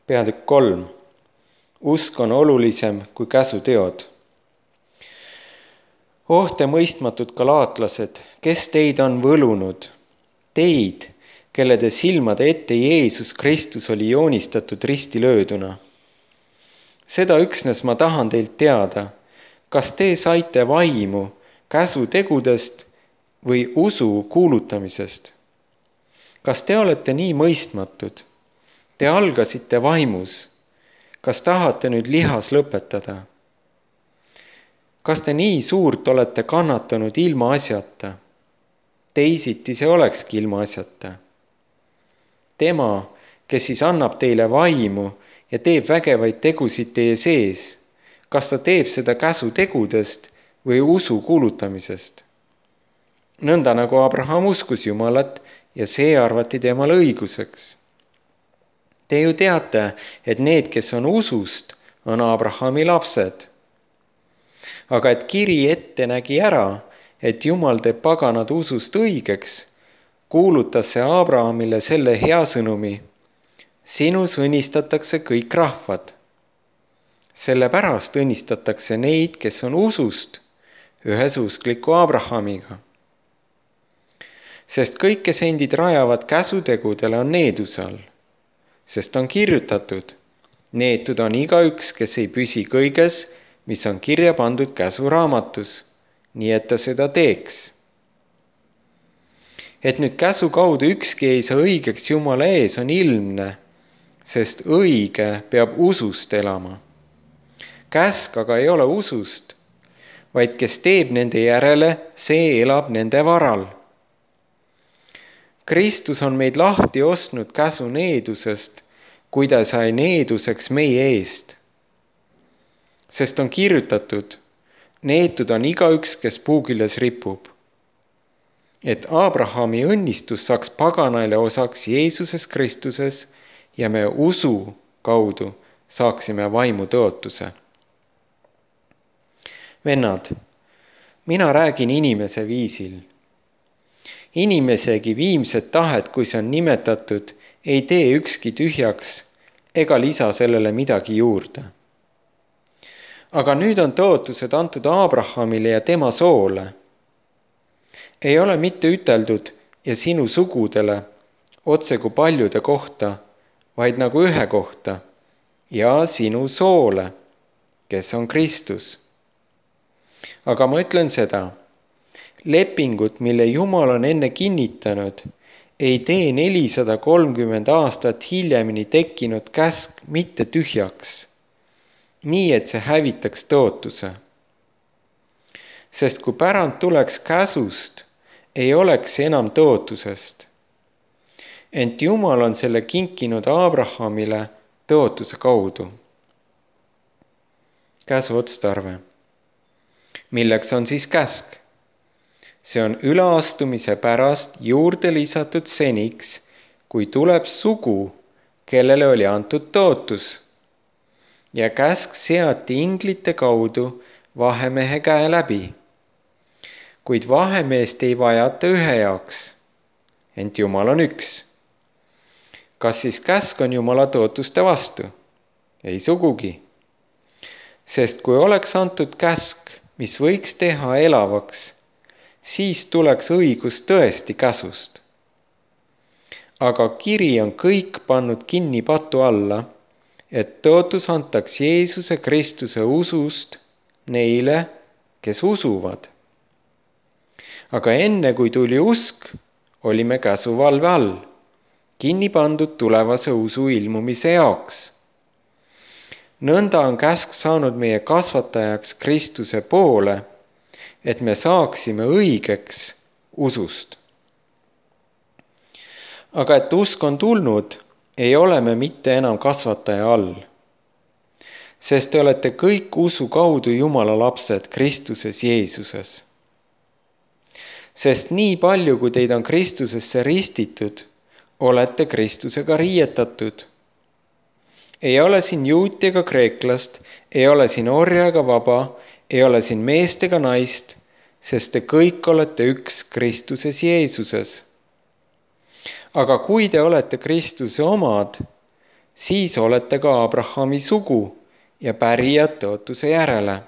Peatükk 3. Usk on olulisem kui käsuteod. Oh te mõistmatud galaatlased, kes teid on võlunud? Teid, kelle te silmade ette Jeesus Kristus oli joonistatud ristilööduna. Seda üksnes ma tahan teilt teada, kas te saite vaimu käsutegudest või usu kuulutamisest? Kas te olete nii mõistmatud? Te algasite vaimus. Kas tahate nüüd lihas lõpetada? Kas te nii suurt olete kannatanud ilma asjata? Teisiti see olekski ilma asjata. Tema, kes siis annab teile vaimu ja teeb vägevaid tegusid teie sees, kas ta teeb seda käsutegudest või usu kuulutamisest? Nõnda nagu Abraham uskus Jumalat ja see arvati temale õiguseks. Te ju teate, et need, kes on usust, on Abrahami lapsed. Aga et kiri ette nägi ära, et Jumal teeb paganad usust õigeks, kuulutas see Abrahamile selle hea sõnumi: sinus õnnistatakse kõik rahvad. Sellepärast õnnistatakse neid, kes on usust, ühesuskliku Abrahamiga. Sest kõik, kes endid rajavad käsutegudele, on needuse all. Sest on kirjutatud: neetud on igaüks, kes ei püsi kõiges, mis on kirja pandud käsuraamatus, nii et ta seda teeks. Et nüüd käsu kaudu ükski ei saa õigeks Jumala ees, on ilmne, sest õige peab usust elama. Käsk aga ei ole usust, vaid kes teeb nende järele, see elab nende varal. Kristus on meid lahti ostnud käsu needusest, kui ta sai needuseks meie eest. Sest on kirjutatud: neetud on igaüks, kes puuküljes ripub. Et Abrahami õnnistus saaks paganaile osaks Jeesuses Kristuses ja me usu kaudu saaksime vaimu tõotuse. Vennad, mina räägin inimese viisil. Inimesegi viimset tahet, kui see on nimetatud, ei tee ükski tühjaks ega lisa sellele midagi juurde. Aga nüüd on tõotused antud Abrahamile ja tema soole. Ei ole mitte üteldud ja sinu sugudele, otse kui paljude kohta, vaid nagu ühe kohta, ja sinu soole, kes on Kristus. Aga ma ütlen seda: lepingut, mille Jumal on enne kinnitanud, ei tee 430 aastat hiljemini tekkinud käsk mitte tühjaks, nii et see hävitaks tõotuse. Sest kui pärand tuleks käsust, ei oleks see enam tõotusest. Ent Jumal on selle kinkinud Abrahamile tõotuse kaudu. Käsu otstarve. Milleks on siis käsk? See on üleastumise pärast juurde lisatud seniks, kui tuleb sugu, kellele oli antud tõotus. Ja käsk seati inglite kaudu vahemehe käe läbi. Kuid vahemeest ei vajata ühe jaoks, ent Jumal on üks. Kas siis käsk on Jumala tõotuste vastu? Ei sugugi. Sest kui oleks antud käsk, mis võiks teha elavaks, siis tuleks õigus tõesti käsust. Aga kiri on kõik pannud kinni patu alla, et tõotus antaks Jeesuse Kristuse usust neile, kes usuvad. Aga enne kui tuli usk, olime käsuvalve all, kinni pandud tulevase usu ilmumise jaoks. Nõnda on käsk saanud meie kasvatajaks Kristuse poole, et me saaksime õigeks usust. Aga et usk on tulnud, ei ole me mitte enam kasvataja all. Sest te olete kõik usu kaudu Jumala lapsed Kristuses Jeesuses. Sest nii palju, kui teid on Kristusesse ristitud, olete Kristusega riietatud. Ei ole siin juuti ega kreeklast, ei ole siin orja ega vaba, ei ole siin meest ega naist, sest te kõik olete üks Kristuses Jeesuses. Aga kui te olete Kristuse omad, siis olete ka Abrahami sugu ja pärijad tõotuse järele.